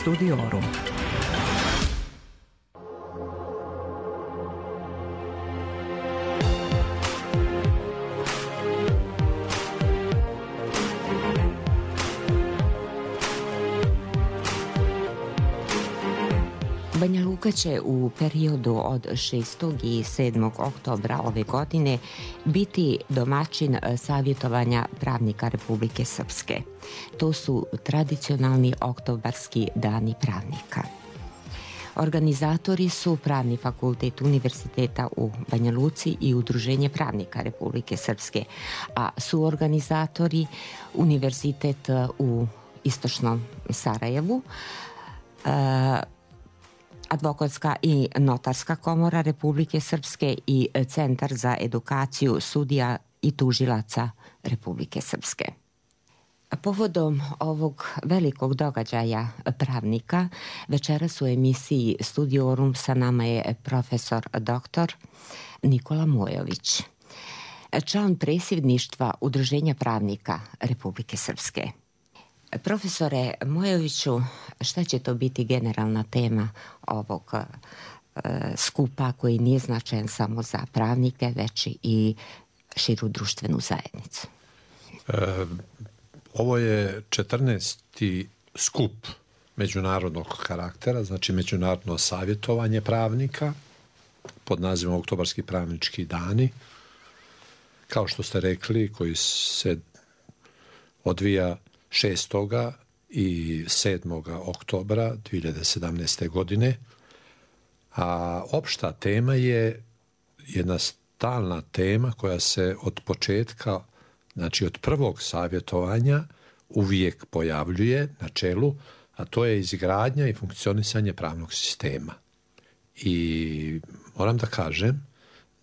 Studiorum. Banja Luka će u periodu od 6. i 7. oktobra ove godine biti domaćin savjetovanja pravnika Republike Srpske. To su tradicionalni oktobarski dani pravnika. Organizatori su Pravni fakultet Univerziteta u Banja Luci i Udruženje pravnika Republike Srpske, a suorganizatori Univerzitet u Istočnom Sarajevu, Advokatska i Notarska komora Republike Srpske i Centar za edukaciju sudija i tužilaca Republike Srpske. Povodom ovog velikog događaja pravnika, večeras u emisiji Studiorum sa nama je profesor dr. Nikola Mojović, član predsjedništva Udruženja pravnika Republike Srpske. Profesore Mojoviću, šta će to biti generalna tema ovog skupa koji nije značajan samo za pravnike, već i širu društvenu zajednicu? Ovo je 14. skup međunarodnog karaktera, znači međunarodno savjetovanje pravnika pod nazivom Oktobarski pravnički dani, kao što ste rekli, koji se odvija 6. i 7. oktobra 2017. godine, a opšta tema je jedna stalna tema koja se od početka, znači od prvog savjetovanja uvijek pojavljuje na čelu, a to je izgradnja i funkcionisanje pravnog sistema. I moram da kažem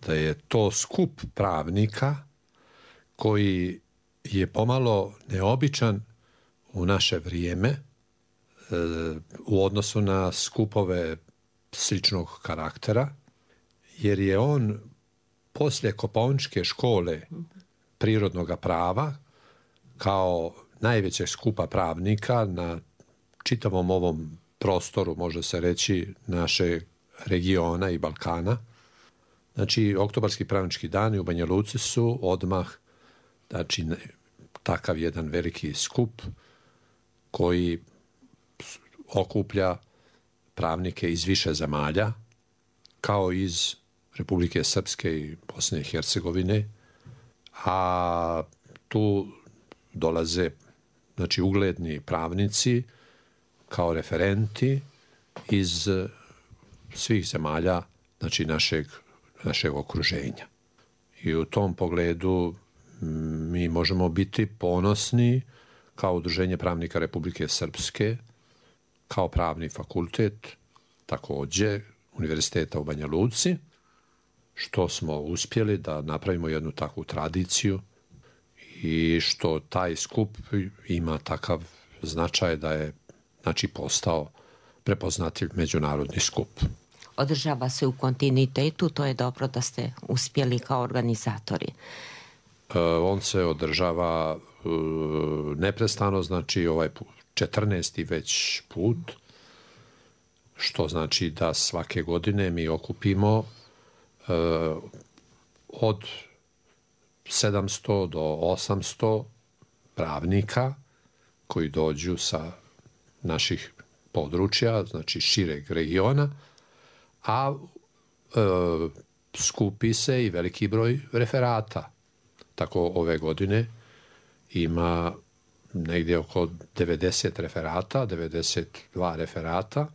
da je to skup pravnika koji je pomalo neobičan u naše vrijeme u odnosu na skupove sličnog karaktera, jer je on poslije Kopaoničke škole prirodnog prava kao najvećeg skupa pravnika na čitavom ovom prostoru, može se reći, našeg regiona i Balkana. Znači, Oktobarski pravnički dani u Banja Luci su odmah, znači, takav jedan veliki skup koji okuplja pravnike iz više zemalja, kao iz Republike Srpske i Bosne i Hercegovine, a tu dolaze, znači, ugledni pravnici kao referenti iz svih zemalja, znači, našeg okruženja. I u tom pogledu mi možemo biti ponosni kao Udruženje pravnika Republike Srpske, kao Pravni fakultet, također Univerziteta u Banja Luci, što smo uspjeli da napravimo jednu takvu tradiciju i što taj skup ima takav značaj da je, znači, postao prepoznatljiv međunarodni skup. Održava se u kontinuitetu, to je dobro da ste uspjeli kao organizatori. On se održava neprestano, znači ovaj 14. već put, što znači da svake godine mi okupimo od 700 do 800 pravnika koji dođu sa naših područja, znači šireg regiona, a skupi se i veliki broj referata. Tako ove godine ima negdje oko 90 referata, 92 referata.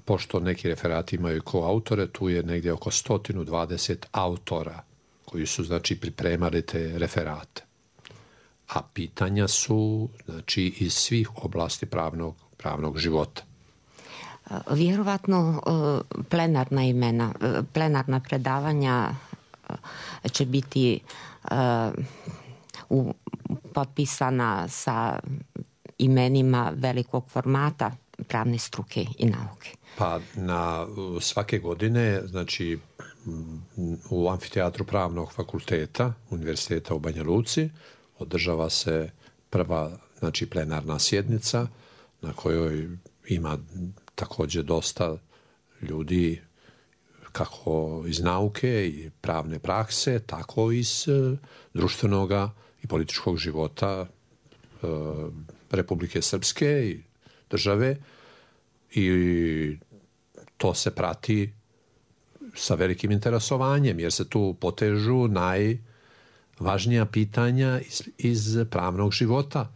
Pošto neki referati imaju koautore, tu je negdje oko 120 autora koji su, znači, pripremali te referate. A pitanja su, znači, iz svih oblasti pravnog života. Vjerovatno plenarna predavanja će biti potpisana sa imenima velikog formata pravne struke i nauke. Pa na svake godine, znači, u amfiteatru Pravnog fakulteta Univerziteta u Banja Luci održava se prva, znači, plenarna sjednica na kojoj ima također dosta ljudi kako iz nauke i pravne prakse, tako i iz društvenog i političkog života Republike Srpske i države, i to se prati sa velikim interesovanjem, jer se tu potežu najvažnija pitanja iz pravnog života,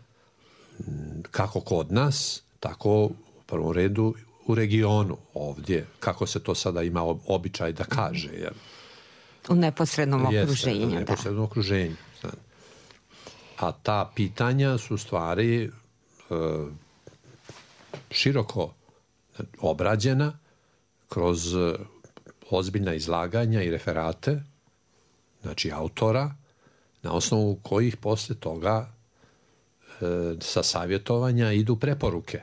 kako kod nas, tako u prvom redu u regionu ovdje, kako se to sada ima običaj da kaže. Jer u neposrednom okruženju. U neposrednom okruženju. A ta pitanja su stvari široko obrađena kroz ozbiljna izlaganja i referate, znači autora, na osnovu kojih posle toga sa savjetovanja idu preporuke.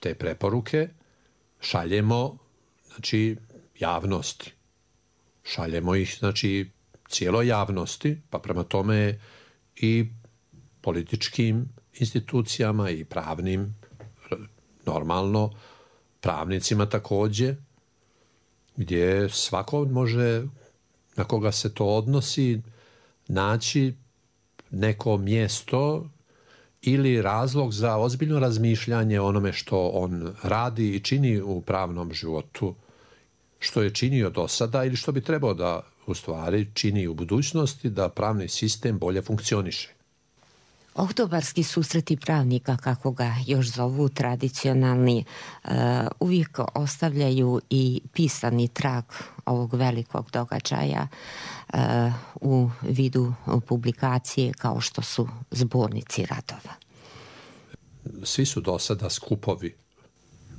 Te preporuke šaljemo, znači, javnosti. Šaljemo ih, znači, cijeloj javnosti, pa prema tome i političkim institucijama i pravnim, normalno, pravnicima također, gdje svako može, na koga se to odnosi, naći neko mjesto ili razlog za ozbiljno razmišljanje o onome što on radi i čini u pravnom životu, što je činio do sada ili što bi trebao da u stvari čini u budućnosti da pravni sistem bolje funkcioniše. Oktobarski susreti pravnika, kako ga još zovu tradicionalni, uvijek ostavljaju i pisani trag ovog velikog događaja u vidu publikacije kao što su zbornici radova. Svi su do sada skupovi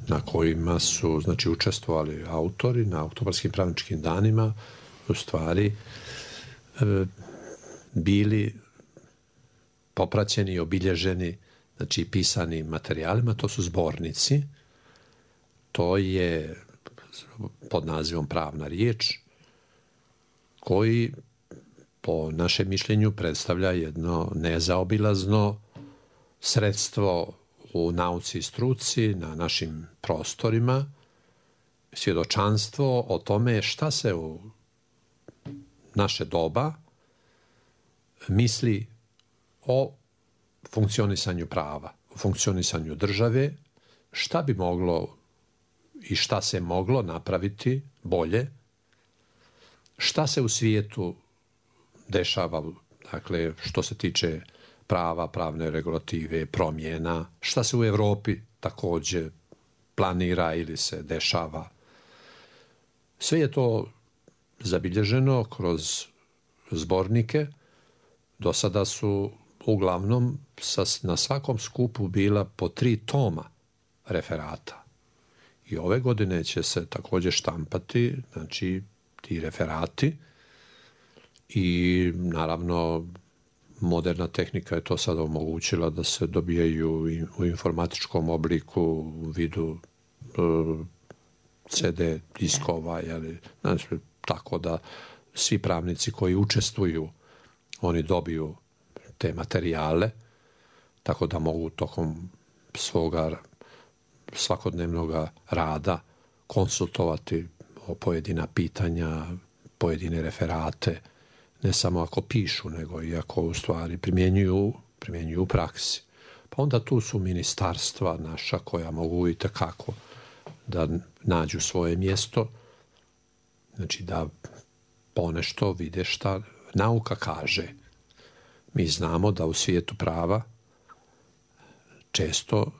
na kojima su, znači, učestvovali autori na oktobarskim pravničkim danima, u stvari bili popraćeni i obilježeni, znači, pisanim materijalima. To su zbornici. To je pod nazivom pravna riječ, koji po našem mišljenju predstavlja jedno nezaobilazno sredstvo u nauci i struci na našim prostorima, svjedočanstvo o tome šta se u naše doba misli o funkcionisanju prava, o funkcionisanju države, šta bi moglo i šta se moglo napraviti bolje, šta se u svijetu dešava, dakle, što se tiče prava, pravne regulative, promjena, šta se u Europi također planira ili se dešava. Sve je to zabilježeno kroz zbornike. Do sada su uglavnom na svakom skupu bila po 3 toma referata. I ove godine će se također štampati, znači, ti referati, i naravno moderna tehnika je to sada omogućila da se dobijaju u informatičkom obliku u vidu CD diskova, znači, tako da svi pravnici koji učestvuju, oni dobiju te materijale, tako da mogu tokom svoga svakodnevnog rada konsultovati o pojedina pitanja, pojedine referate, ne samo ako pišu, nego i ako u stvari primjenjuju u praksi. Pa onda tu su ministarstva naša koja mogu i tekako da nađu svoje mjesto, znači da ponešto vide šta nauka kaže. Mi znamo da u svijetu prava često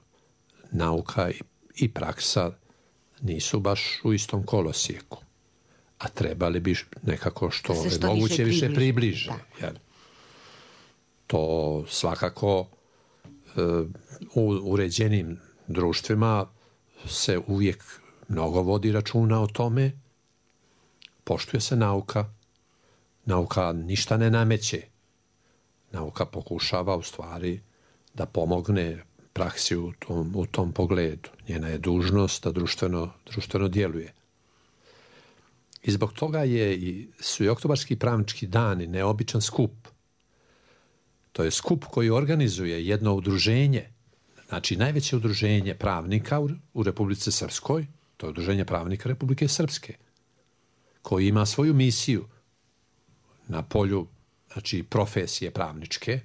nauka i praksa nisu baš u istom kolosijeku, a trebali bi nekako što je moguće više približe. To svakako u uređenim društvima se uvijek mnogo vodi računa o tome, poštuje se nauka, nauka ništa ne nameće, nauka pokušava u stvari da pomogne praksi u tom pogledu. Njena je dužnost da društveno djeluje. I zbog toga su i oktobarski pravnički dani neobičan skup. To je skup koji organizuje jedno udruženje, Znači, najveće udruženje pravnika u Republici Srpskoj, to je Udruženje pravnika Republike Srpske, koji ima svoju misiju na polju, znači, profesije pravničke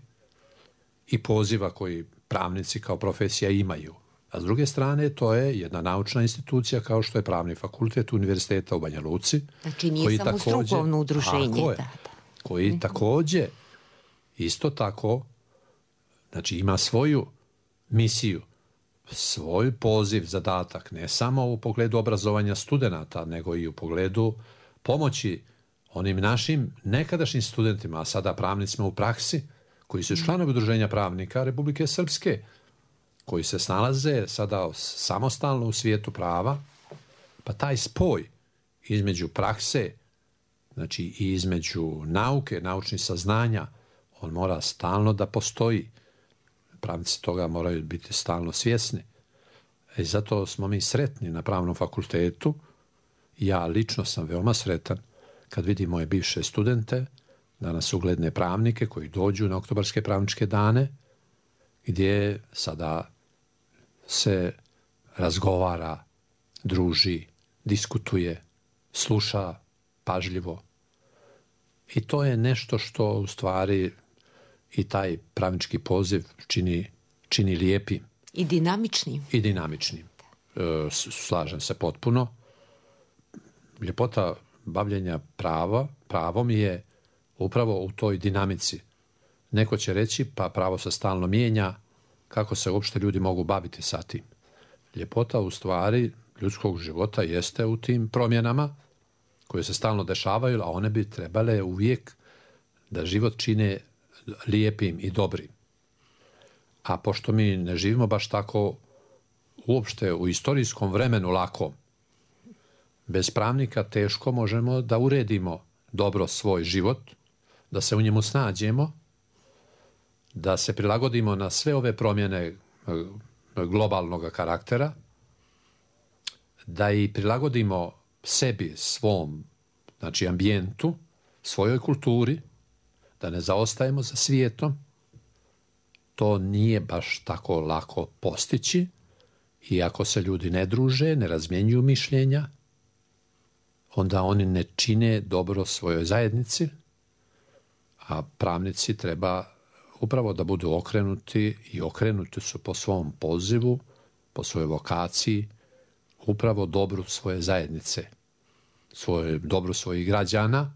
i poziva koji pravnici kao profesija imaju. A s druge strane, to je jedna naučna institucija kao što je Pravni fakultet Univerziteta u Banja Luci. Znači, nije samo strukovno udruženje. Koji također, isto tako, znači, ima svoju misiju, svoj poziv, zadatak, ne samo u pogledu obrazovanja studenata, nego i u pogledu pomoći onim našim nekadašnjim studentima, a sada pravnicima u praksi, koji su članovi Udruženja pravnika Republike Srpske, koji se snalaze sada samostalno u svijetu prava, pa taj spoj između prakse, znači i između nauke, naučnih saznanja, on mora stalno da postoji. Pravnici toga moraju biti stalno svjesni. I zato smo mi sretni na Pravnom fakultetu. Ja lično sam veoma sretan kad vidim moje bivše studente, danas ugledne pravnike koji dođu na oktobarske pravničke dane, gdje sada se razgovara, druži, diskutuje, sluša pažljivo. I to je nešto što u stvari i taj pravnički poziv čini lijepim. I dinamičnim. I dinamičnim. Slažem se potpuno. Ljepota bavljenja pravom je upravo u toj dinamici. Neko će reći, pa pravo se stalno mijenja, kako se uopšte ljudi mogu baviti sa tim. Ljepota u stvari ljudskog života jeste u tim promjenama koje se stalno dešavaju, a one bi trebale uvijek da život čine lijepim i dobrim. A pošto mi ne živimo baš tako uopšte u istorijskom vremenu lakom, bez pravnika teško možemo da uredimo dobro svoj život, da se u njemu snađemo, da se prilagodimo na sve ove promjene globalnog karaktera, da i prilagodimo sebi, svom, znači ambijentu, svojoj kulturi, da ne zaostajemo za svijetom. To nije baš tako lako postići i ako se ljudi ne druže, ne razmjenjuju mišljenja, onda oni ne čine dobro svojoj zajednici, a pravnici treba upravo da budu okrenuti i okrenuti su po svom pozivu, po svojoj vokaciji, upravo dobru svoje zajednice, dobru svojih građana,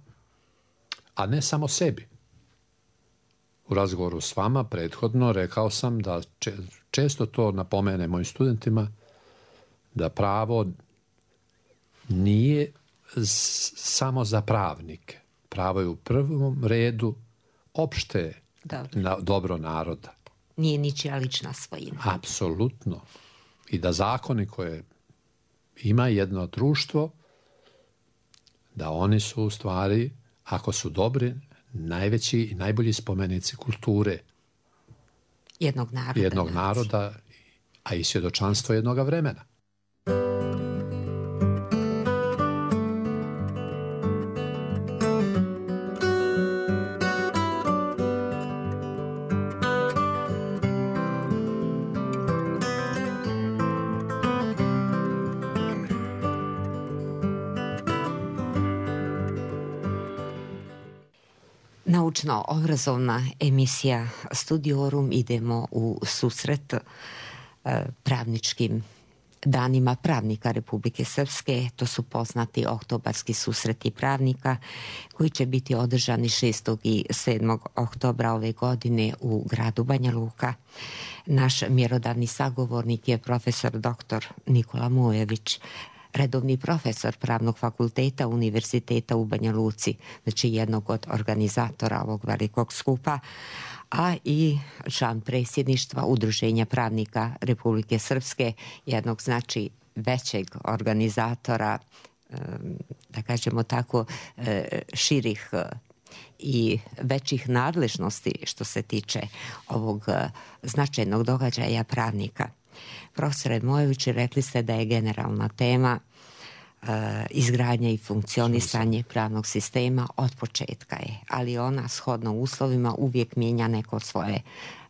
a ne samo sebi. U razgovoru s vama prethodno rekao sam da često to napomene mojim studentima, da pravo nije samo za pravnike. Pravo je u prvom redu opšte dobro naroda. Nije ničija lična svojina. Apsolutno. I da zakoni koje ima jedno društvo, da oni su u stvari, ako su dobri, najveći i najbolji spomenici kulture jednog naroda, a i svjedočanstvo jednoga vremena. Naučno-obrazovna emisija Studiorum, idemo u susret pravničkim danima pravnika Republike Srpske. To su poznati oktobarski susreti pravnika koji će biti održani 6. i 7. oktobra ove godine u gradu Banja Luka. Naš mjerodavni sagovornik je profesor dr. Nikola Mujević, redovni profesor Pravnog fakulteta Univerziteta u Banja Luci, znači jednog od organizatora ovog velikog skupa, a i član predsjedništva Udruženja pravnika Republike Srpske, jednog znači većeg organizatora, da kažemo tako, širih i većih nadležnosti što se tiče ovog značajnog događaja pravnika. Profesore Mojević, rekli ste da je generalna tema izgradnja i funkcionisanje pravnog sistema od početka je, ali ona shodno uslovima uvijek mijenja neko svoje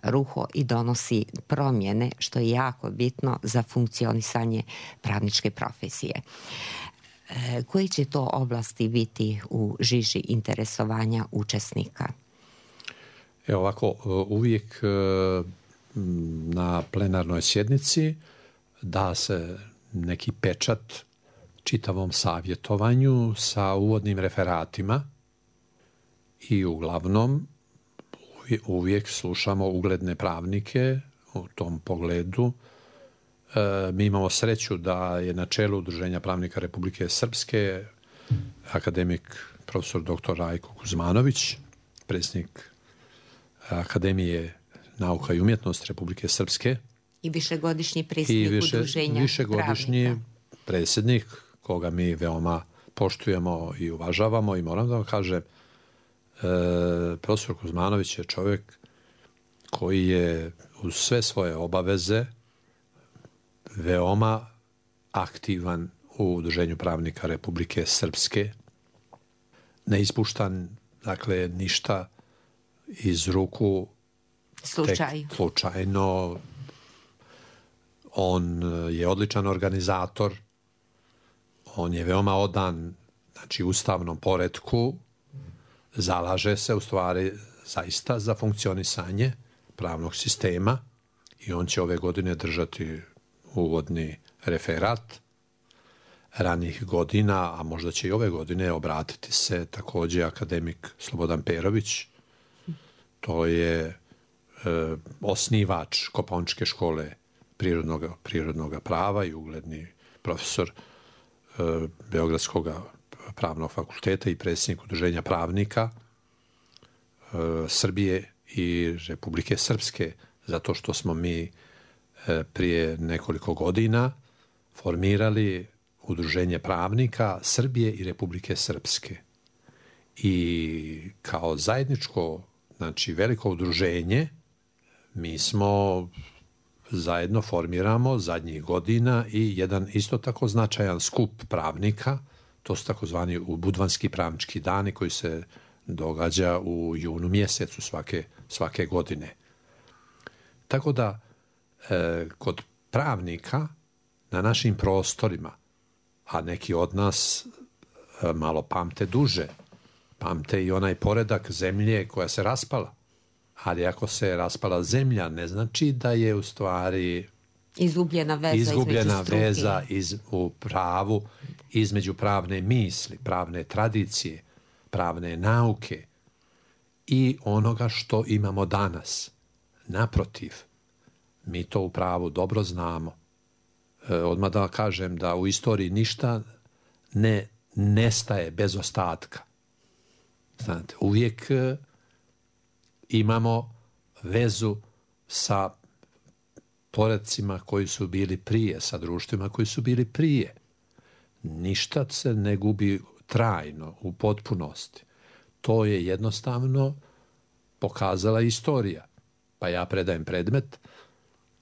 ruho i donosi promjene, što je jako bitno za funkcionisanje pravničke profesije. Koji će to oblasti biti u žiži interesovanja učesnika? Evo ovako, uvijek na plenarnoj sjednici da se neki pečat čitavom savjetovanju sa uvodnim referatima i uglavnom uvijek slušamo ugledne pravnike u tom pogledu. Mi imamo sreću da je na čelu Udruženja pravnika Republike Srpske akademik profesor dr. Rajko Kuzmanović, predsjednik Akademije nauka i umjetnost Republike Srpske. I višegodišnji predsjednik Udruženja višegodišnji predsjednik koga mi veoma poštujemo i uvažavamo i moram da vam kažem, profesor Kuzmanović je čovjek koji je uz sve svoje obaveze veoma aktivan u Udruženju pravnika Republike Srpske. Ne ispuštan, dakle, ništa iz ruku slučajno. On je odličan organizator, on je veoma odan, znači, ustavnom poretku, zalaže se u stvari zaista za funkcionisanje pravnog sistema i on će ove godine držati uvodni referat. Ranih godina, a možda će i ove godine, obratiti se također akademik Slobodan Perović. To je osnivač Kopaoničke škole prirodnog prava i ugledni profesor Beogradskog pravnog fakulteta i predsjednik Udruženja pravnika Srbije i Republike Srpske, zato što smo mi prije nekoliko godina formirali Udruženje pravnika Srbije i Republike Srpske. I kao zajedničko, znači veliko udruženje, mi smo zajedno formiramo zadnjih godina i jedan isto tako značajan skup pravnika, to su takozvani budvanski pravnički dani koji se događa u junu mjesecu svake godine. Tako da kod pravnika na našim prostorima, a neki od nas malo pamte duže, pamte i onaj poredak zemlje koja se raspala. Ali ako se raspala zemlja, ne znači da je u stvari izgubljena veza u pravu između pravne misli, pravne tradicije, pravne nauke i onoga što imamo danas. Naprotiv, mi to u pravu dobro znamo. Odmah da kažem da u istoriji ništa ne nestaje bez ostatka. Znate, uvijek imamo vezu sa poredcima koji su bili prije, sa društvima koji su bili prije. Ništa se ne gubi trajno, u potpunosti. To je jednostavno pokazala istorija. Pa ja predajem predmet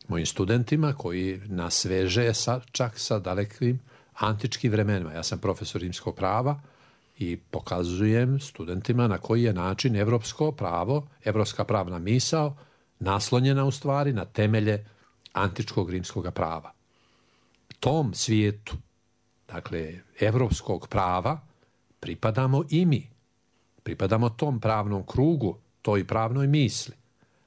mojim studentima koji nas veže čak sa dalekim antičkim vremenima. Ja sam profesor rimskog prava i pokazujem studentima na koji je način evropsko pravo, evropska pravna misao naslonjena u stvari na temelje antičkog rimskog prava. Tom svijetu, dakle, evropskog prava, pripadamo i mi. Pripadamo tom pravnom krugu, toj pravnoj misli.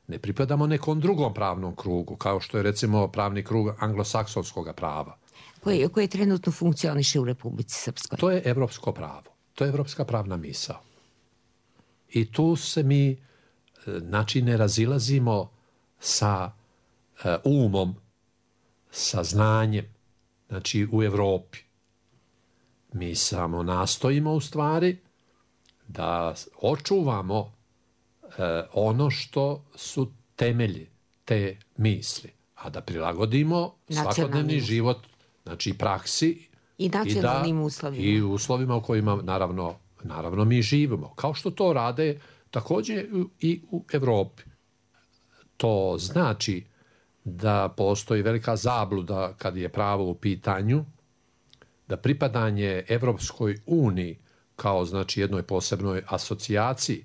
Ne pripadamo nekom drugom pravnom krugu, kao što je recimo pravni krug anglosaksonskog prava. Koji trenutno funkcioniše u Republici Srpskoj. To je evropsko pravo. To je evropska pravna misao. I tu se mi, znači, ne razilazimo sa umom, sa znanjem, znači u Evropi. Mi samo nastojimo u stvari da očuvamo ono što su temelji te misli, a da prilagodimo svakodnevni život, znači praksi i nacionalnim uslovima. I uslovima u kojima naravno mi živimo. Kao što to rade također i u Evropi. To znači da postoji velika zabluda kad je pravo u pitanju, da pripadanje Evropskoj uniji kao znači jednoj posebnoj asocijaciji,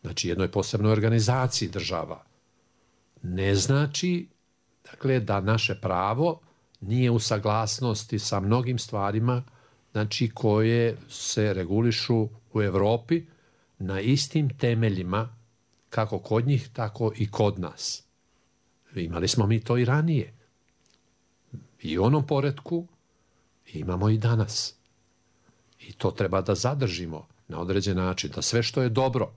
znači jednoj posebnoj organizaciji država, ne znači dakle, da naše pravo nije u saglasnosti sa mnogim stvarima znači, koje se regulišu u Evropi na istim temeljima kako kod njih, tako i kod nas. Imali smo mi to i ranije. I u onom poretku imamo i danas. I to treba da zadržimo na određen način, da sve što je dobro,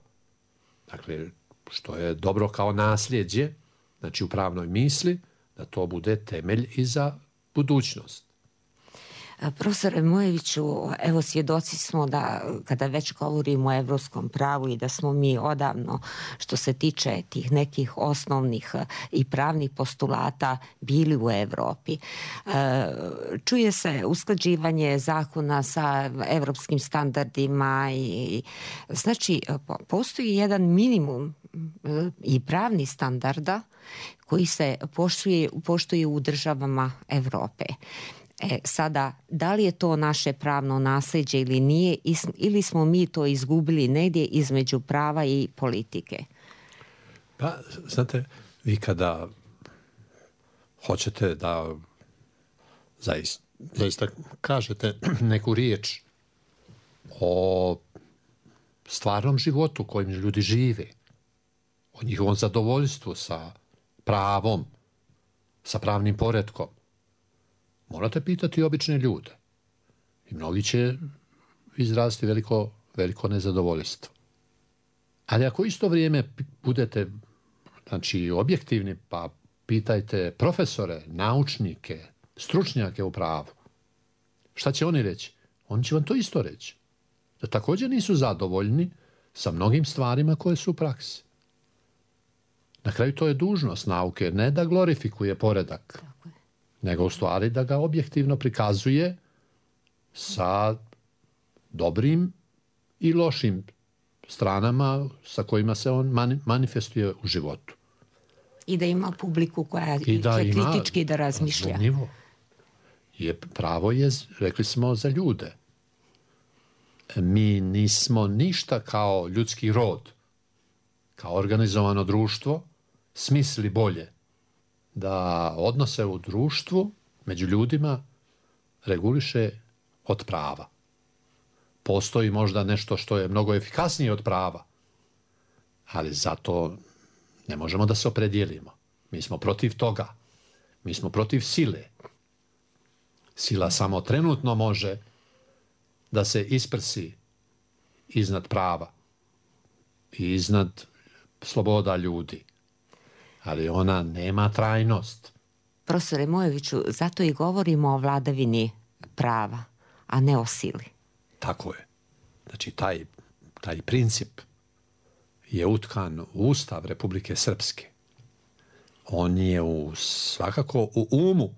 dakle, što je dobro kao nasljeđe, znači u pravnoj misli, da to bude temelj i za budućnost. Profesore Mojeviću, evo svjedoci smo da kada već govorimo o evropskom pravu i da smo mi odavno, što se tiče tih nekih osnovnih i pravnih postulata, bili u Evropi. Čuje se usklađivanje zakona sa evropskim standardima i znači postoji jedan minimum i pravni standarda koji se poštuje u državama Evrope. Sada, da li je to naše pravno nasljeđe ili nije, ili smo mi to izgubili negdje između prava i politike? Pa, znate, vi kada hoćete da zaista kažete neku riječ o stvarnom životu kojim ljudi žive, o njihovom zadovoljstvu sa pravom, sa pravnim poretkom, morate pitati obične ljude. I mnogi će izraziti veliko nezadovoljstvo. Ali ako isto vrijeme budete znači, objektivni, pa pitajte profesore, naučnike, stručnjake u pravu, šta će oni reći? Oni će vam to isto reći. Da također nisu zadovoljni sa mnogim stvarima koje su u praksi. Na kraju to je dužnost nauke, ne da glorifikuje poredak, nego u stvari da ga objektivno prikazuje sa dobrim i lošim stranama sa kojima se on manifestuje u životu. I da ima publiku koja će kritički da razmišlja. Pravo je, rekli smo, za ljude. Mi nismo ništa kao ljudski rod, kao organizovano društvo, smislili bolje da odnose u društvu među ljudima reguliše od prava. Postoji možda nešto što je mnogo efikasnije od prava, ali zato ne možemo da se opredijelimo. Mi smo protiv toga. Mi smo protiv sile. Sila samo trenutno može da se isprsi iznad prava i iznad sloboda ljudi. Ali ona nema trajnost. Profesore Mojeviću, zato i govorimo o vladavini prava, a ne o sili. Tako je. Znači, taj princip je utkan u Ustav Republike Srpske. On je svakako u umu,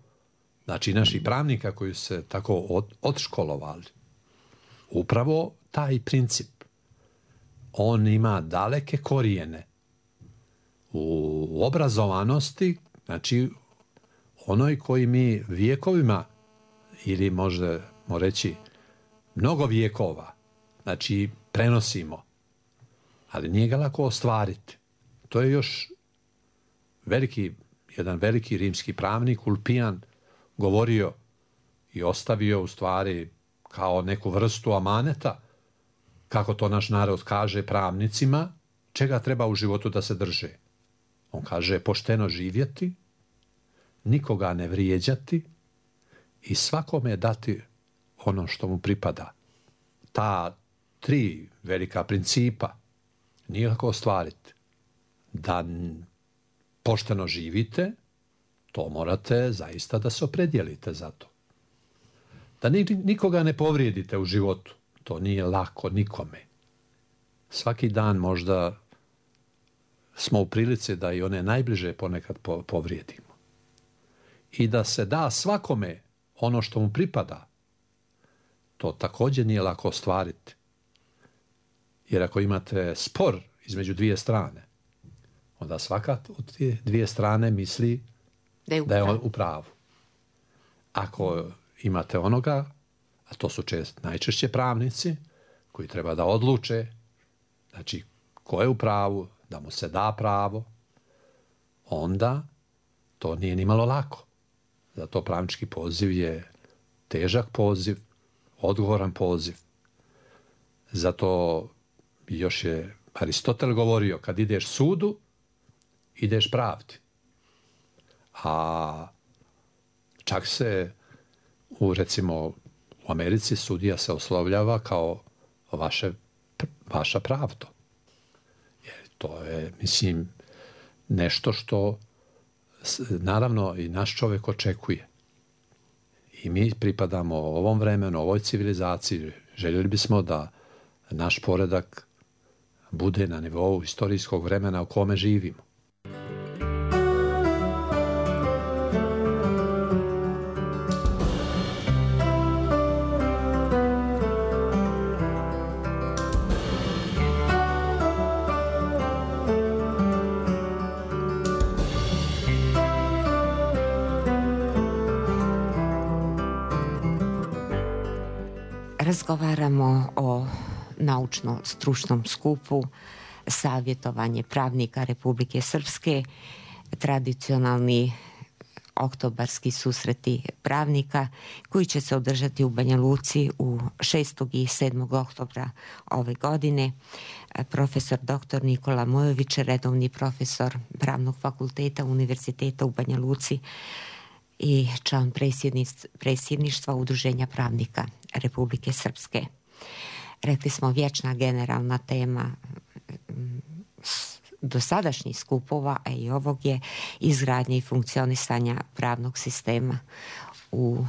znači naših pravnika koji su se tako odškolovali. Upravo taj princip, on ima daleke korijene u obrazovanosti, znači onoj koji mi vjekovima, ili možemo reći mnogo vjekova, znači prenosimo, ali nije ga lako ostvariti. To je još jedan veliki rimski pravnik, Ulpijan, govorio i ostavio u stvari kao neku vrstu amaneta, kako to naš narod kaže pravnicima, čega treba u životu da se drže. On kaže pošteno živjeti, nikoga ne vrijeđati i svakome dati ono što mu pripada. Ta 3 velika principa nije kako ostvariti. Da pošteno živite, to morate zaista da se opredijelite za to. Da nikoga ne povrijedite u životu, to nije lako nikome. Svaki dan možda smo u prilici da i one najbliže ponekad povrijedimo. I da se da svakome ono što mu pripada, to također nije lako ostvariti. Jer ako imate spor između 2 strane, onda svaka od te 2 strane misli da je on u pravu. Ako imate onoga, a to su najčešće pravnici koji treba da odluče, znači ko je u pravu, da mu se da pravo, onda to nije ni malo lako. Zato pravnički poziv je težak poziv, odgovoran poziv. Zato još je Aristotel govorio, kad ideš sudu, ideš pravdi. A čak se recimo u Americi sudija se oslovljava kao vaša pravdo. Jer to je, mislim, nešto što naravno i naš čovjek očekuje. I mi pripadamo ovom vremenu, ovoj civilizaciji. Željeli bismo da naš poredak bude na nivou istorijskog vremena u kome živimo. Razgovaramo o naučno-stručnom skupu Savjetovanje pravnika Republike Srpske, tradicionalni oktobarski susreti pravnika koji će se održati u Banja Luci u 6. i 7. oktobra ove godine. Profesor dr. Nikola Mojović, redovni profesor Pravnog fakulteta Univerziteta u Banja Luci i član predsjedništva Udruženja pravnika Republike Srpske. Rekli smo, vječna generalna tema dosadašnjih skupova, a i ovog je izgradnja i funkcionisanja pravnog sistema. U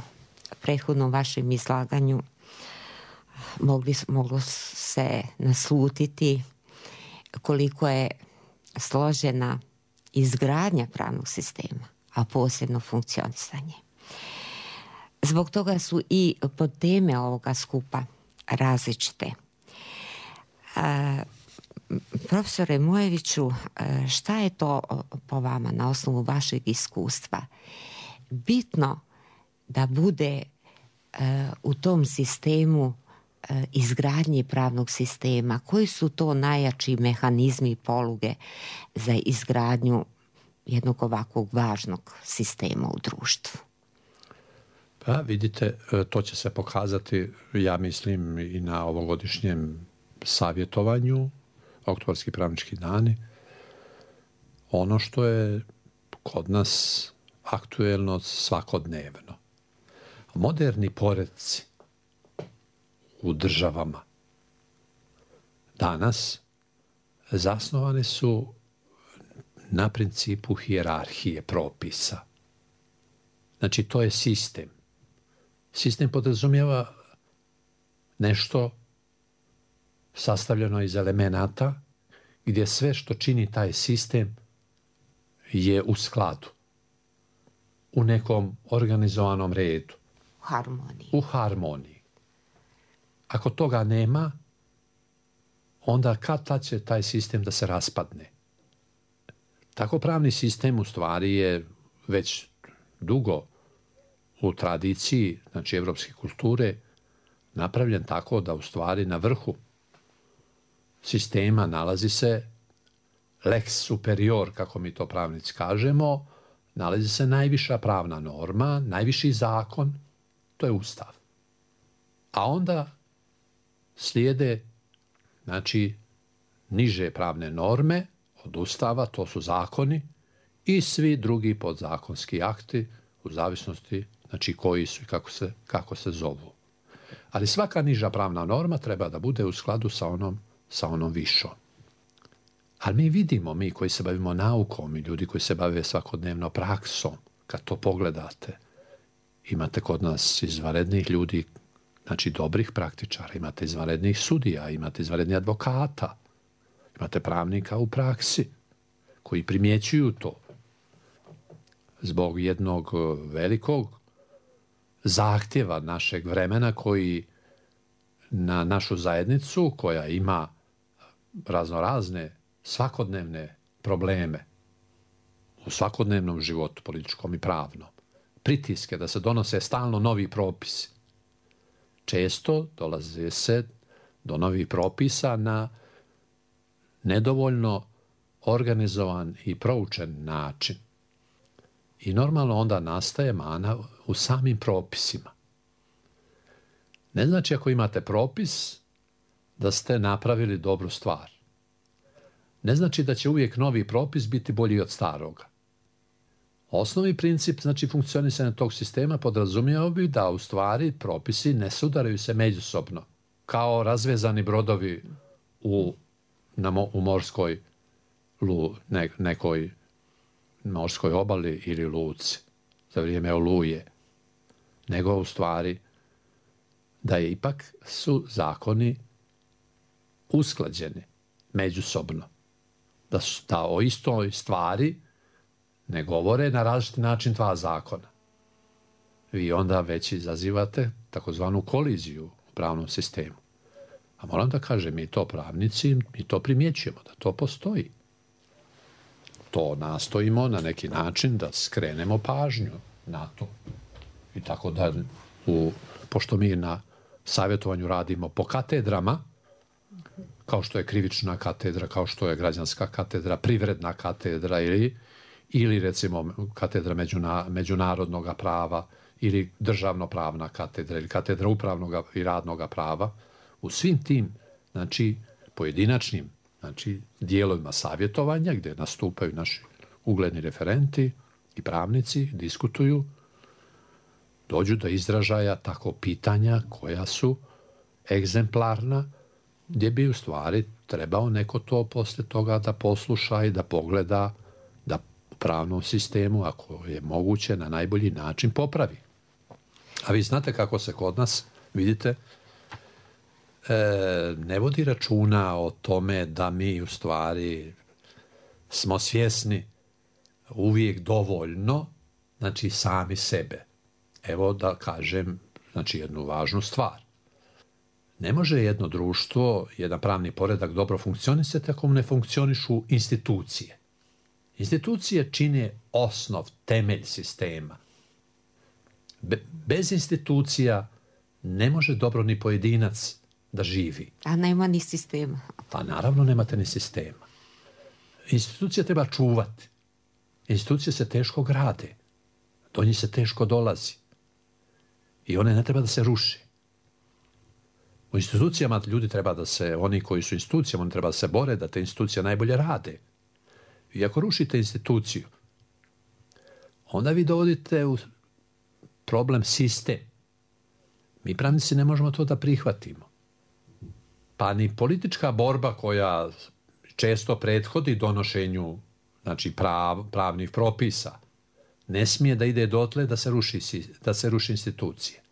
prethodnom vašem izlaganju moglo se naslutiti koliko je složena izgradnja pravnog sistema, a posebno funkcionisanje. Zbog toga su i podteme ovoga skupa različite. Profesore Mojeviću, šta je to po vama na osnovu vašeg iskustva bitno da bude u tom sistemu izgradnje pravnog sistema? Koji su to najjači mehanizmi i poluge za izgradnju jednog ovakvog važnog sistema u društvu? Pa vidite, to će se pokazati, ja mislim, i na ovogodišnjem savjetovanju, oktobarski pravnički dani. Ono što je kod nas aktuelno svakodnevno. Moderni poredci u državama danas zasnovani su na principu hijerarhije propisa. Znači, to je sistem. Sistem podrazumijeva nešto sastavljeno iz elemenata gdje sve što čini taj sistem je u skladu, u nekom organizovanom redu. U harmoniji. Ako toga nema, onda kad će taj sistem da se raspadne. Tako pravni sistem u stvari je već dugo u tradiciji, znači evropske kulture, napravljen tako da u stvari na vrhu sistema nalazi se lex superior, kako mi to pravnici kažemo, nalazi se najviša pravna norma, najviši zakon, to je Ustav. A onda slijede, znači, niže pravne norme od Ustava, to su zakoni, i svi drugi podzakonski akti u zavisnosti, znači, koji su i kako se zovu. Ali svaka niža pravna norma treba da bude u skladu sa onom višom. Ali mi vidimo, mi koji se bavimo naukom i ljudi koji se bave svakodnevno praksom, kad to pogledate, imate kod nas izvanrednih ljudi, znači dobrih praktičara, imate izvanrednih sudija, imate izvanrednih advokata, imate pravnika u praksi koji primjećuju to zbog jednog velikog zahtjeva našeg vremena koji na našu zajednicu, koja ima raznorazne svakodnevne probleme u svakodnevnom životu, političkom i pravnom, pritiske da se donose stalno novi propisi, često dolazi se do novih propisa na nedovoljno organizovan i proučen način. I normalno onda nastaje mana u samim propisima. Ne znači ako imate propis da ste napravili dobru stvar. Ne znači da će uvijek novi propis biti bolji od staroga. Osnovni princip, znači funkcionisanja tog sistema, podrazumijeva bi da u stvari propisi ne sudaraju se međusobno, kao razvezani brodovi u morskoj nekoj morskoj obali ili luci za vrijeme oluje, nego u stvari da je ipak su zakoni usklađeni međusobno. Da o istoj stvari ne govore na različiti način dva zakona. Vi onda već izazivate takozvanu koliziju u pravnom sistemu. A moram da kažem, mi to pravnici, mi to primjećujemo, da to postoji. To nastojimo na neki način da skrenemo pažnju na to. I tako da, pošto mi na savjetovanju radimo po katedrama, kao što je krivična katedra, kao što je građanska katedra, privredna katedra ili recimo katedra međunarodnog prava ili državno-pravna katedra ili katedra upravnog i radnog prava, u svim tim, znači, pojedinačnim, znači, dijelovima savjetovanja gdje nastupaju naši ugledni referenti i pravnici, diskutuju, dođu do izražaja tako pitanja koja su egzemplarna, gdje bi u stvari trebao neko to poslije toga da posluša i da pogleda, da u pravnom sistemu, ako je moguće, na najbolji način popravi. A vi znate kako se kod nas, vidite, ne vodi računa o tome da mi u stvari smo svjesni uvijek dovoljno, znači sami sebe. Evo da kažem, znači jednu važnu stvar. Ne može jedno društvo, jedan pravni poredak dobro funkcionisati ako mu ne funkcionišu institucije. Institucije čine osnov, temelj sistema. Bez institucija ne može dobro ni pojedinac da živi. A nema ni sistema. Pa naravno nemate ni sistema. Institucije treba čuvati. Institucije se teško grade. Do njih se teško dolazi. I one ne treba da se ruše. U institucijama ljudi treba da se, oni koji su institucijama, oni treba da se bore da te institucije najbolje rade. I ako rušite instituciju, onda vi dovodite u problem sistem. Mi pravnici ne možemo to da prihvatimo. Pa ni politička borba koja često prethodi donošenju, znači pravnih propisa, ne smije da ide dotle da se ruši institucije.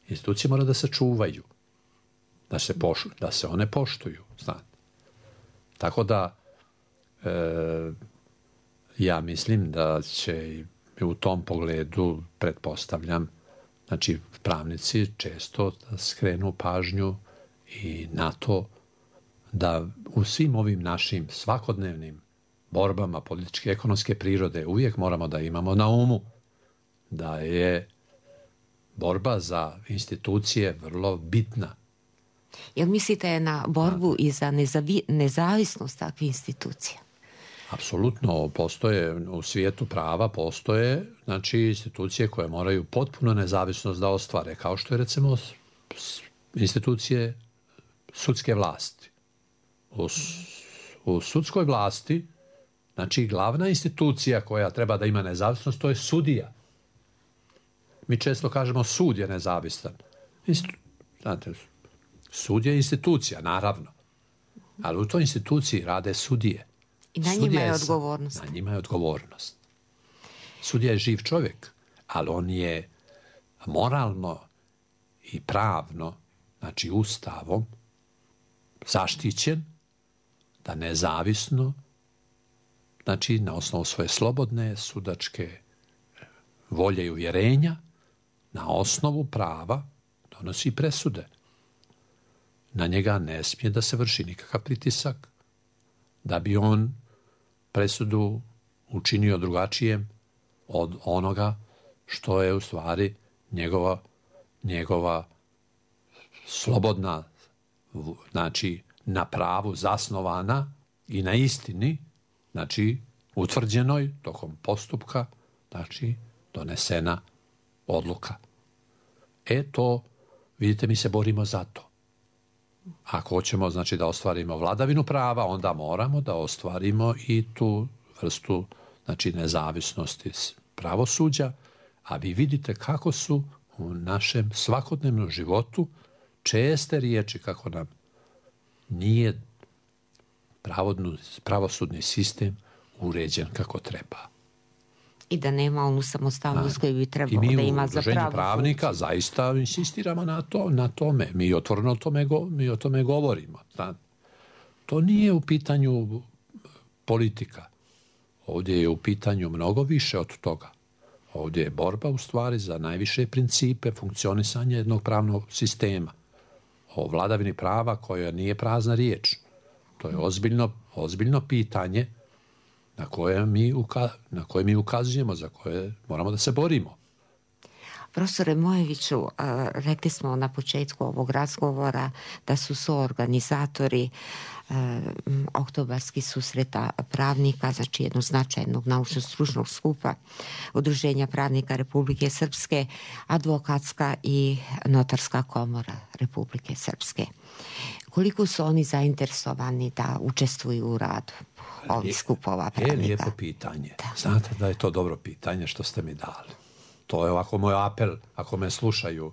Institucije mora da se čuvaju, da se one poštuju. Znate. Tako da ja mislim da će u tom pogledu, pretpostavljam, znači pravnici često skrenu pažnju i na to da u svim ovim našim svakodnevnim borbama političke i ekonomske prirode uvijek moramo da imamo na umu da je borba za institucije vrlo bitna. Jel mislite na borbu i za nezavisnost takvih institucija? Apsolutno, postoje u svijetu prava, postoje znači institucije koje moraju potpuno nezavisnost da ostvare, kao što je recimo institucije sudske vlasti. U sudskoj vlasti, znači glavna institucija koja treba da ima nezavisnost, to je sudija. Mi često kažemo sud je nezavistan. Znate, sud je institucija, naravno. Ali u toj instituciji rade sudije. I na njima je odgovornost. Na njima je odgovornost. Sudija je živ čovjek, ali on je moralno i pravno, znači ustavom, zaštićen da nezavisno, znači na osnovu svoje slobodne sudačke volje i uvjerenja, na osnovu prava donosi presude. Na njega ne smije da se vrši nikakav pritisak, da bi on presudu učinio drugačijem od onoga što je u stvari njegova slobodna, znači na pravu zasnovana i na istini, znači utvrđenoj tokom postupka, znači donesena odluka. To, vidite, mi se borimo za to. Ako hoćemo, znači, da ostvarimo vladavinu prava, onda moramo da ostvarimo i tu vrstu, znači, nezavisnosti pravosuđa, a vi vidite kako su u našem svakodnevnom životu česte riječi kako nam nije pravosudni sistem uređen kako treba. I da nema onu samostalnost koju bi trebalo da ima za pravu. I mi u Udruženju pravnika zaista insistiramo na tome. Mi otvoreno o tome govorimo. To nije u pitanju politika. Ovdje je u pitanju mnogo više od toga. Ovdje je borba u stvari za najviše principe funkcionisanja jednog pravnog sistema. O vladavini prava koja nije prazna riječ. To je ozbiljno pitanje na koje mi ukazujemo, za koje moramo da se borimo. Profesore Mojeviću, rekli smo na početku ovog razgovora da su suorganizatori oktobarskih susreta pravnika, znači jednog značajnog naučno-stručnog skupa Udruženja pravnika Republike Srpske, Advokatska i Notarska komora Republike Srpske. Koliko su oni zainteresovani da učestvuju u radu ovih skupova pravnika? Je lijepo pitanje. Znate da je to dobro pitanje što ste mi dali. To je ovako moj apel, ako me slušaju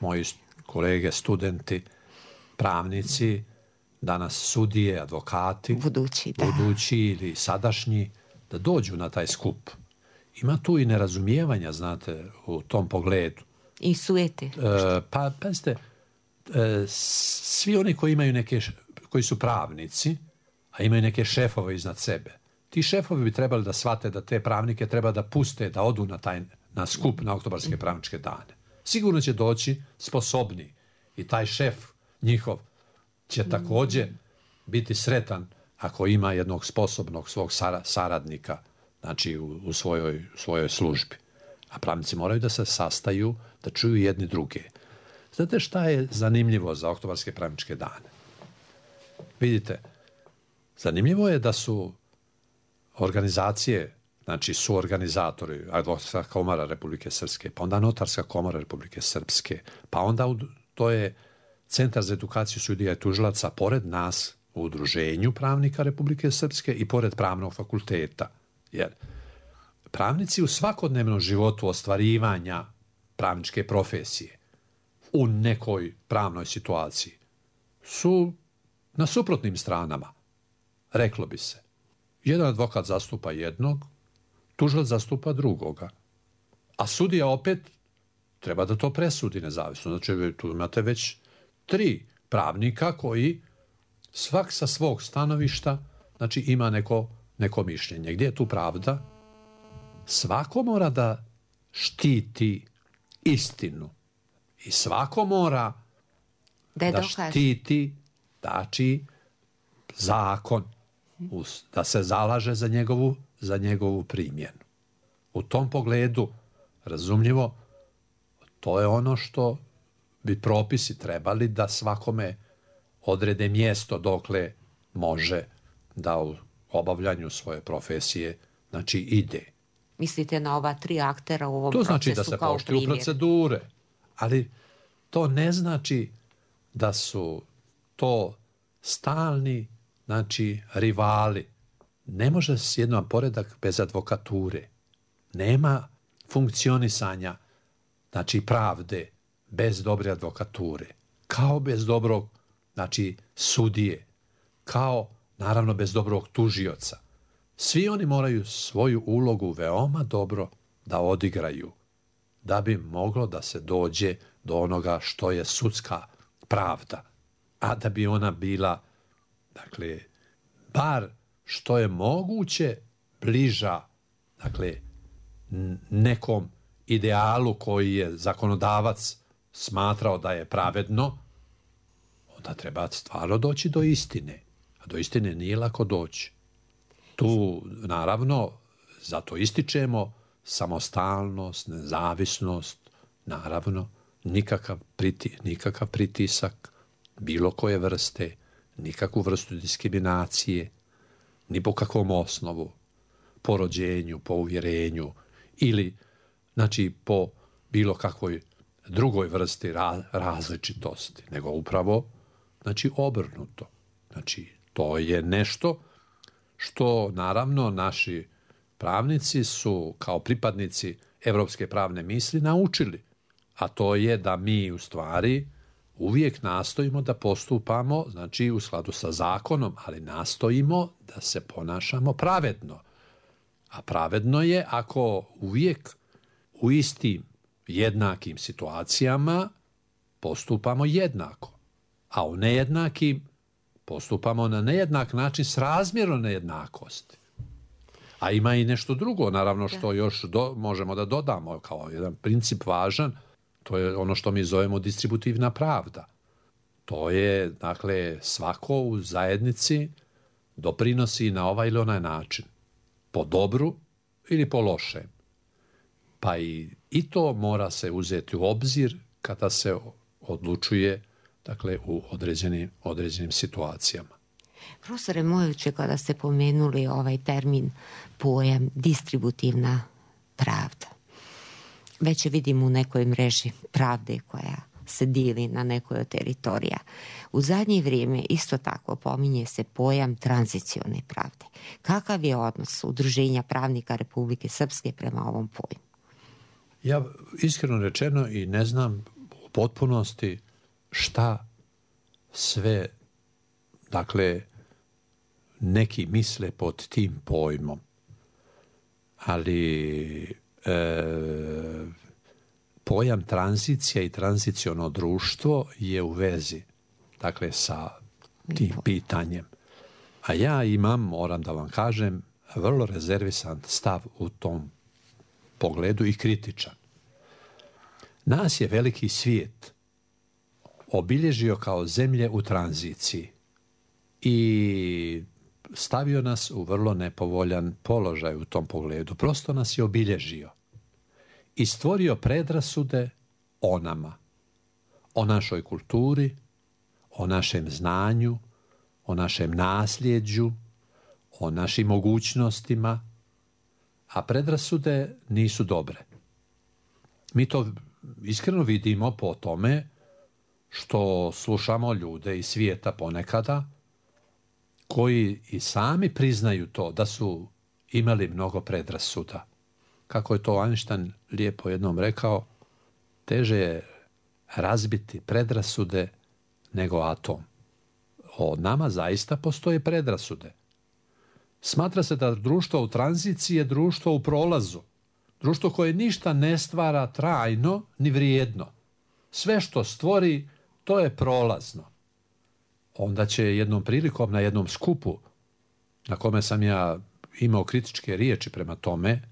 moji kolege, studenti, pravnici, danas sudije, advokati, budući ili sadašnji, da dođu na taj skup. Ima tu i nerazumijevanja, znate, u tom pogledu. I sujete. Pa, pazite, svi oni koji su pravnici, a imaju neke šefove iznad sebe, ti šefovi bi trebali da shvate da te pravnike treba da puste, da odu na skup na oktobarske pravničke dane. Sigurno će doći sposobni i taj šef njihov će također biti sretan ako ima jednog sposobnog svog saradnika, znači u svojoj službi. A pravnici moraju da se sastaju, da čuju jedni druge. Znate šta je zanimljivo za oktobarske pravničke dane? Vidite, zanimljivo je da su organizacije, znači su organizatori, Advokatska komora Republike Srpske, pa onda Notarska komora Republike Srpske, pa onda to je Centar za edukaciju sudija i tužilaca pored nas u Udruženju pravnika Republike Srpske i pored Pravnog fakulteta. Jer pravnici u svakodnevnom životu ostvarivanja pravničke profesije u nekoj pravnoj situaciji su na suprotnim stranama, reklo bi se. Jedan advokat zastupa jednog, tužilac zastupa drugoga. A sudija opet treba da to presudi nezavisno. Znači, tu imate već 3 pravnika koji svak sa svog stanovišta, znači, ima neko mišljenje. Gdje je tu pravda? Svako mora da štiti istinu. I svako mora da štiti, znači, zakon. Da se zalaže za njegovu primjenu. U tom pogledu, razumljivo, to je ono što bi propisi trebali da svakome odrede mjesto dokle može da u obavljanju svoje profesije, znači, ide. Mislite na ova 3 aktera u ovom procesu kao primjer? To znači da se poštuju procedure, ali to ne znači da su to stalni, znači, rivali. Ne može jedan poredak bez advokature. Nema funkcionisanja, znači, pravde bez dobre advokature. Kao bez dobrog, znači, sudije. Kao, naravno, bez dobrog tužioca. Svi oni moraju svoju ulogu veoma dobro da odigraju, da bi moglo da se dođe do onoga što je sudska pravda. A da bi ona bila, dakle, bar što je moguće bliža, dakle, nekom idealu koji je zakonodavac smatrao da je pravedno, onda treba stvarno doći do istine. A do istine nije lako doći. Tu, naravno, zato ističemo samostalnost, nezavisnost, naravno, nikakav pritisak bilo koje vrste, nikakvu vrstu diskriminacije, ni po kakvom osnovu, po rođenju, po uvjerenju ili znači po bilo kakvoj drugoj vrsti različitosti, nego upravo znači obrnuto. Znači to je nešto što naravno naši pravnici su kao pripadnici evropske pravne misli naučili, a to je da mi u stvari uvijek nastojimo da postupamo znači u skladu sa zakonom, ali nastojimo da se ponašamo pravedno. A pravedno je ako uvijek u istim jednakim situacijama postupamo jednako, a u nejednakim postupamo na nejednak način s razmjerom nejednakosti. A ima i nešto drugo, naravno, što još možemo da dodamo kao jedan princip važan, to je ono što mi zovemo distributivna pravda. To je, dakle, svako u zajednici doprinosi na ovaj ili onaj način, po dobru ili po lošem. Pa i to mora se uzeti u obzir kada se odlučuje, dakle, u određenim situacijama. Profesore Mojoviću, kada ste pomenuli ovaj termin, pojam distributivna pravda, već je vidim u nekoj mreži pravde koja se dili na nekoj od teritorija. U zadnje vrijeme isto tako pominje se pojam tranzicione pravde. Kakav je odnos Udruženja pravnika Republike Srpske prema ovom pojmu? Ja iskreno rečeno i ne znam u potpunosti šta sve, dakle, neki misle pod tim pojmom. Ali pojam tranzicija i tranziciono društvo je u vezi, dakle, sa tim pitanjem. A ja imam, moram da vam kažem, vrlo rezervisan stav u tom pogledu i kritičan. Nas je veliki svijet obilježio kao zemlje u tranziciji i stavio nas u vrlo nepovoljan položaj u tom pogledu. Prosto nas je obilježio i stvorio predrasude o nama, o našoj kulturi, o našem znanju, o našem nasljeđu, o našim mogućnostima, a predrasude nisu dobre. Mi to iskreno vidimo po tome što slušamo ljude iz svijeta ponekada koji i sami priznaju to da su imali mnogo predrasuda. Kako je to Einstein lijepo jednom rekao, teže je razbiti predrasude nego atom. O nama zaista postoje predrasude. Smatra se da društvo u tranziciji je društvo u prolazu. Društvo koje ništa ne stvara trajno ni vrijedno. Sve što stvori, to je prolazno. Onda će jednom prilikom na jednom skupu na kome sam ja imao kritičke riječi prema tome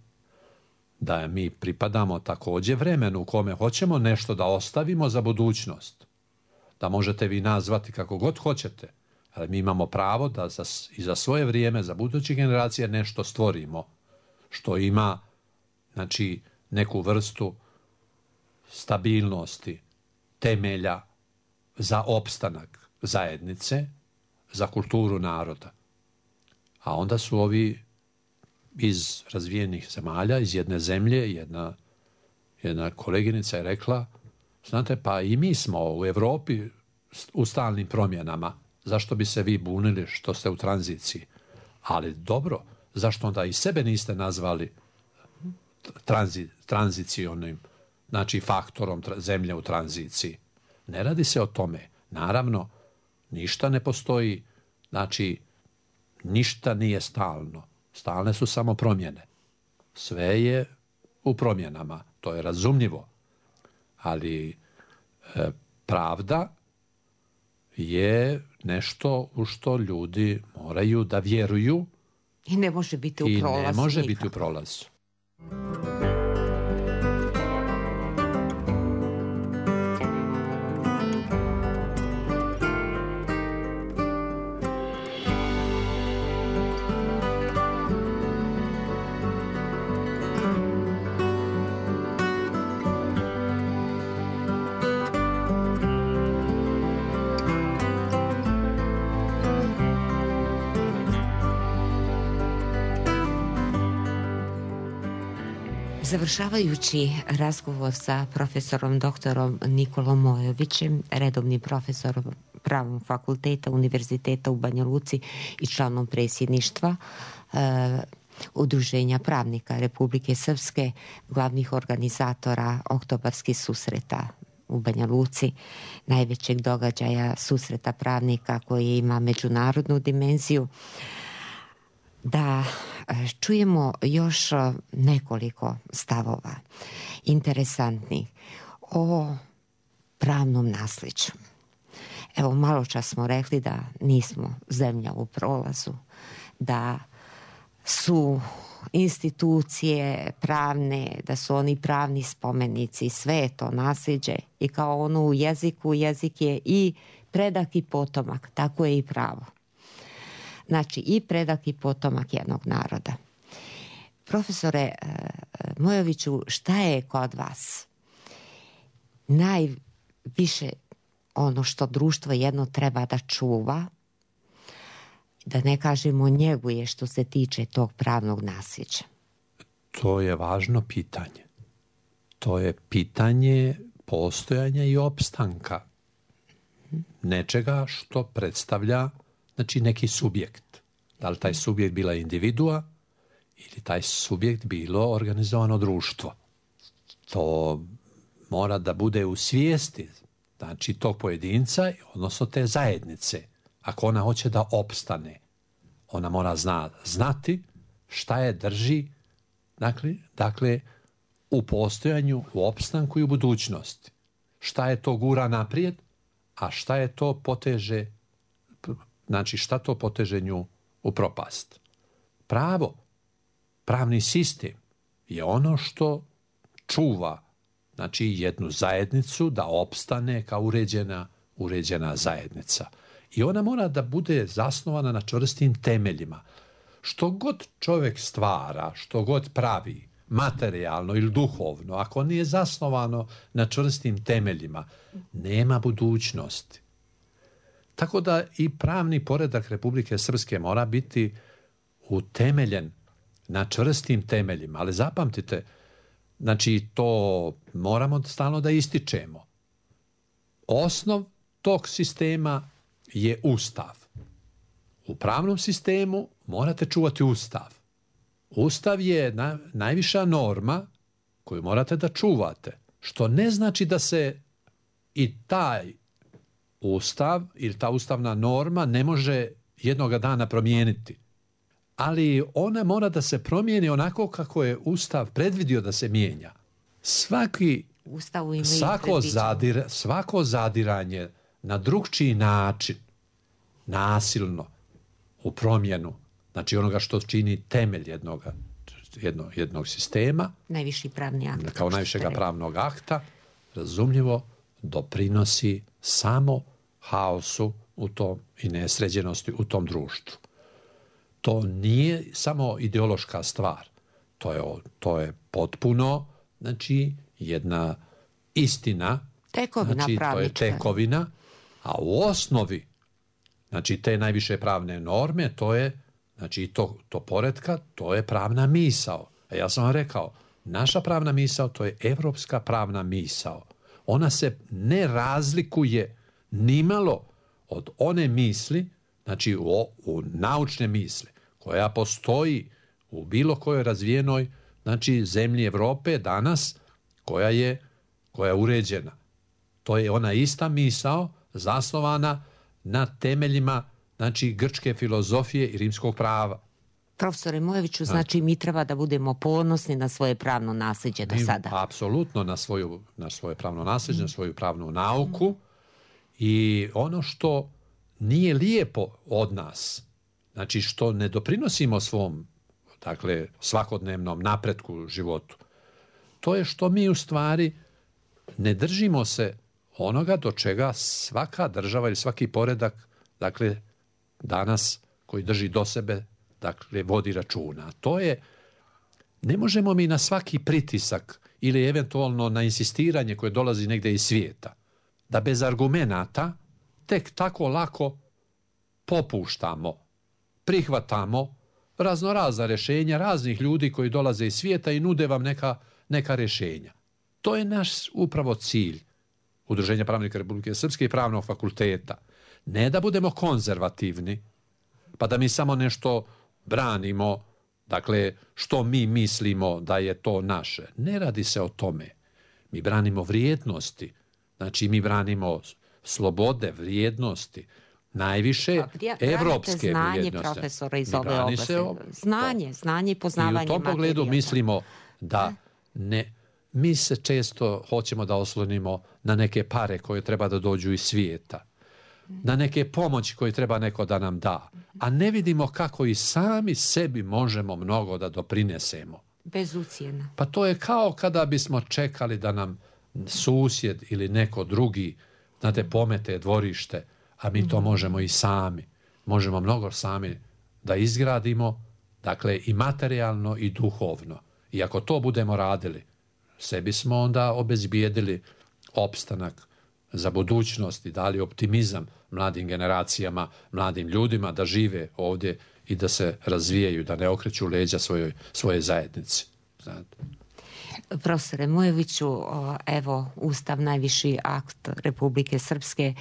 da mi pripadamo također vremenu u kome hoćemo nešto da ostavimo za budućnost. Da možete vi nazvati kako god hoćete, ali mi imamo pravo da i za svoje vrijeme, za buduće generacije nešto stvorimo što ima, znači, neku vrstu stabilnosti, temelja za opstanak zajednice, za kulturu naroda. A onda su ovi iz razvijenih zemalja, iz jedne zemlje, jedna koleginica je rekla, znate, pa i mi smo u Europi u stalnim promjenama, zašto bi se vi bunili što ste u tranziciji? Ali dobro, zašto onda i sebe niste nazvali tranzicionim, znači faktorom zemlje u tranziciji? Ne radi se o tome. Naravno, ništa ne postoji, znači ništa nije stalno. Stalne su samo promjene. Sve je u promjenama, to je razumljivo. Ali pravda je nešto u što ljudi moraju da vjeruju i ne može biti u prolazu. I ne može biti u prolazu. Završavajući razgovor sa profesorom doktorom Nikolom Mojovićem, redovnim profesorom Pravnog fakulteta Univerziteta u Banja Luci i članom predsjedništva Udruženja pravnika Republike Srpske, glavnih organizatora oktobarskih susreta u Banja Luci, najvećeg događaja susreta pravnika koji ima međunarodnu dimenziju, da čujemo još nekoliko stavova interesantnih o pravnom nasljeđu. Evo, malo čas smo rekli da nismo zemlja u prolazu, da su institucije pravne, da su oni pravni spomenici, sve je to nasljeđe i kao ono u jeziku, jezik je i predak i potomak, tako je i pravo. Znači i predak i potomak jednog naroda. Profesore Mojoviću, šta je kod vas najviše ono što društvo jedno treba da čuva, da ne kažemo njeguje što se tiče tog pravnog nasljeđa? To je važno pitanje. To je pitanje postojanja i opstanka nečega što predstavlja, znači, neki subjekt. Da li taj subjekt bila individua ili taj subjekt bilo organizovano društvo. To mora da bude u svijesti, znači, tog pojedinca, odnosno te zajednice. Ako ona hoće da opstane, ona mora znati šta je drži, dakle, u postojanju, u opstanku i u budućnosti. Šta je to gura naprijed, a šta je to poteže, znači šta to poteže nju u propast. Pravo, pravni sistem je ono što čuva, znači, jednu zajednicu da opstane kao uređena zajednica. I ona mora da bude zasnovana na čvrstim temeljima. Što god čovjek stvara, što god pravi, materijalno ili duhovno, ako nije zasnovano na čvrstim temeljima, nema budućnosti. Tako da i pravni poredak Republike Srpske mora biti utemeljen na čvrstim temeljima. Ali zapamtite, znači, to moramo stalno da ističemo. Osnov tog sistema je Ustav. U pravnom sistemu morate čuvati Ustav. Ustav je najviša norma koju morate da čuvate, što ne znači da se i taj Ustav ili ta ustavna norma ne može jednoga dana promijeniti. Ali ona mora da se promijeni onako kako je Ustav predvidio da se mijenja. Svako zadiranje na drugčiji način, nasilno, u promjenu, znači onoga što čini temelj jednog sistema, najviši pravni akt, kao najvišega pravnog akta, razumljivo doprinosi samo haosu u tom i nesređenosti u tom društvu. To nije samo ideološka stvar. To je potpuno, znači, jedna istina, tekovina, znači, to je tekovina, a u osnovi, znači, te najviše pravne norme, to je, znači, to poretka, to je pravna misao. A ja sam vam rekao, naša pravna misao, to je evropska pravna misao. Ona se ne razlikuje nimalo od one misli, znači u naučne misli, koja postoji u bilo kojoj razvijenoj, znači, zemlji Evrope danas, koja je uređena. To je ona ista misao zasnovana na temeljima, znači, grčke filozofije i rimskog prava. Profesore Mojoviću, znači, mi treba da budemo ponosni na svoje pravno nasljeđe do sada. Apsolutno na svoje pravno nasljeđe, na svoju pravnu nauku. I ono što nije lijepo od nas, znači, što ne doprinosimo svom, dakle, svakodnevnom napretku u životu, to je što mi u stvari ne držimo se onoga do čega svaka država ili svaki poredak, dakle, danas koji drži do sebe, dakle, vodi računa. To je, ne možemo mi na svaki pritisak ili eventualno na insistiranje koje dolazi negdje iz svijeta, da bez argumenata tek tako lako popuštamo, prihvatamo raznorazna rješenja raznih ljudi koji dolaze iz svijeta i nude vam neka rješenja. To je naš upravo cilj Udruženja pravnika Republike Srpske i Pravnog fakulteta. Ne da budemo konzervativni, pa da mi samo nešto branimo, dakle, što mi mislimo da je to naše. Ne radi se o tome. Mi branimo vrijednosti, znači mi branimo slobode, vrijednosti, najviše evropske znanje vrijednosti. Profesora iz ove oblasti. Znanje i poznavanje materije. I u tom pogledu mislimo da ne... Mi se često hoćemo da oslonimo na neke pare koje treba da dođu iz svijeta, na neke pomoći koje treba neko da nam da, a ne vidimo kako i sami sebi možemo mnogo da doprinesemo. Bez ucijena. Pa to je kao kada bismo čekali da nam susjed ili neko drugi, znate, pomete dvorište, a mi to možemo i sami. Možemo mnogo sami da izgradimo, dakle i materijalno i duhovno. I ako to budemo radili, sebi smo onda obezbijedili opstanak za budućnost i dali optimizam mladim generacijama, mladim ljudima da žive ovdje i da se razvijaju, da ne okreću leđa svoje zajednici. Znate. Profesore Mujeviću, evo, Ustav, najviši akt Republike Srpske,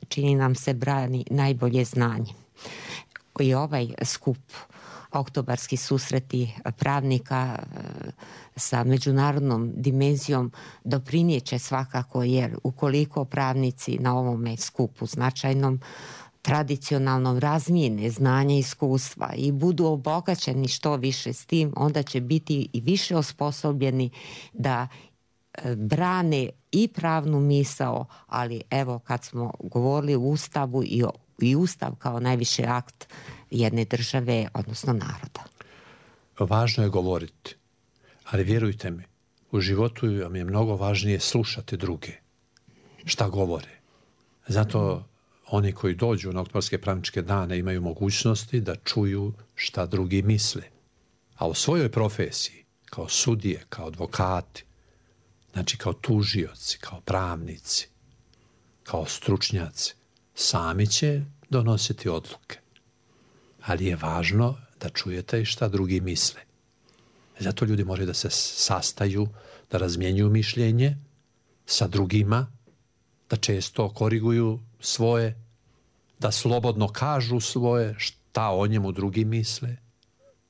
čini nam se brani najbolje znanje. I ovaj skup, oktobarski susreti pravnika sa međunarodnom dimenzijom doprinijeće svakako, jer ukoliko pravnici na ovome skupu značajnom tradicionalnom razmijene znanja i iskustva i budu obogaćeni što više s tim, onda će biti i više osposobljeni da brane i pravnu misao, ali evo kad smo govorili o Ustavu i Ustav kao najviši akt jedne države, odnosno naroda. Važno je govoriti, ali vjerujte mi, u životu vam je mnogo važnije slušati druge, šta govore. Zato oni koji dođu na oktobarske pravničke dane imaju mogućnosti da čuju šta drugi misle. A u svojoj profesiji, kao sudije, kao advokati, znači kao tužioci, kao pravnici, kao stručnjaci, sami će donositi odluke. Ali je važno da čujete i šta drugi misle. Zato ljudi moraju da se sastaju, da razmjenjuju mišljenje sa drugima, da često koriguju svoje, da slobodno kažu svoje, šta o njemu drugi misle.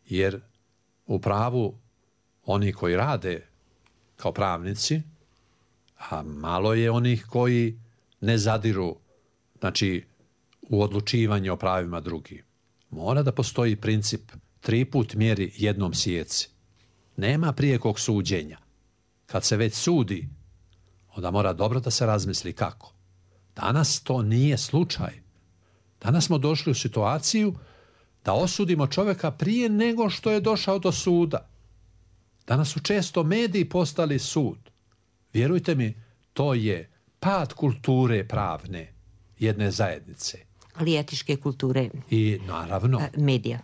Jer u pravu oni koji rade kao pravnici, a malo je onih koji ne zadiru, znači, u odlučivanje o pravima drugih. Mora da postoji princip 3 put mjeri jednom sjeci. Nema prijekog suđenja. Kad se već sudi, onda mora dobro da se razmisli kako. Danas to nije slučaj. Danas smo došli u situaciju da osudimo čovjeka prije nego što je došao do suda. Danas su često mediji postali sud. Vjerujte mi, to je pad kulture pravne jedne zajednice. Ali etičke kulture. I naravno. Medija.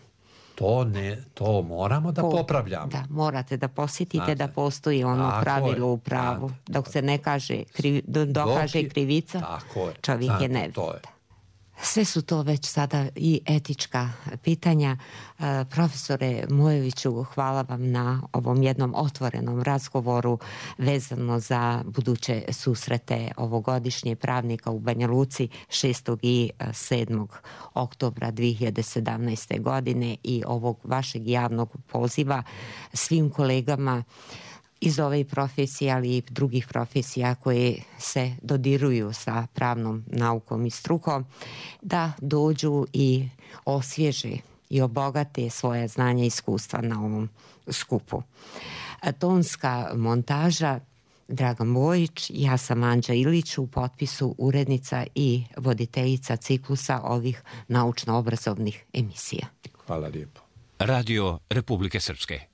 To moramo da popravljamo. Da, morate da posjetite da postoji ono pravilo u pravu. Dok se ne kaže dokaže krivica, čovjek je nevin. Sve su to već sada i etička pitanja. Profesore Mujeviću, hvala vam na ovom jednom otvorenom razgovoru vezano za buduće susrete ovogodišnje pravnika u Banja Luci 6. i 7. oktobra 2017. godine i ovog vašeg javnog poziva svim kolegama iz ove profesije, ali i drugih profesija koje se dodiruju sa pravnom naukom i strukom, da dođu i osvježe i obogate svoje znanja i iskustva na ovom skupu. Tonska montaža Dragan Bojić, ja sam Anđa Ilić, u potpisu urednica i voditeljica ciklusa ovih naučno-obrazovnih emisija. Hvala lijepo. Radio Republike Srpske.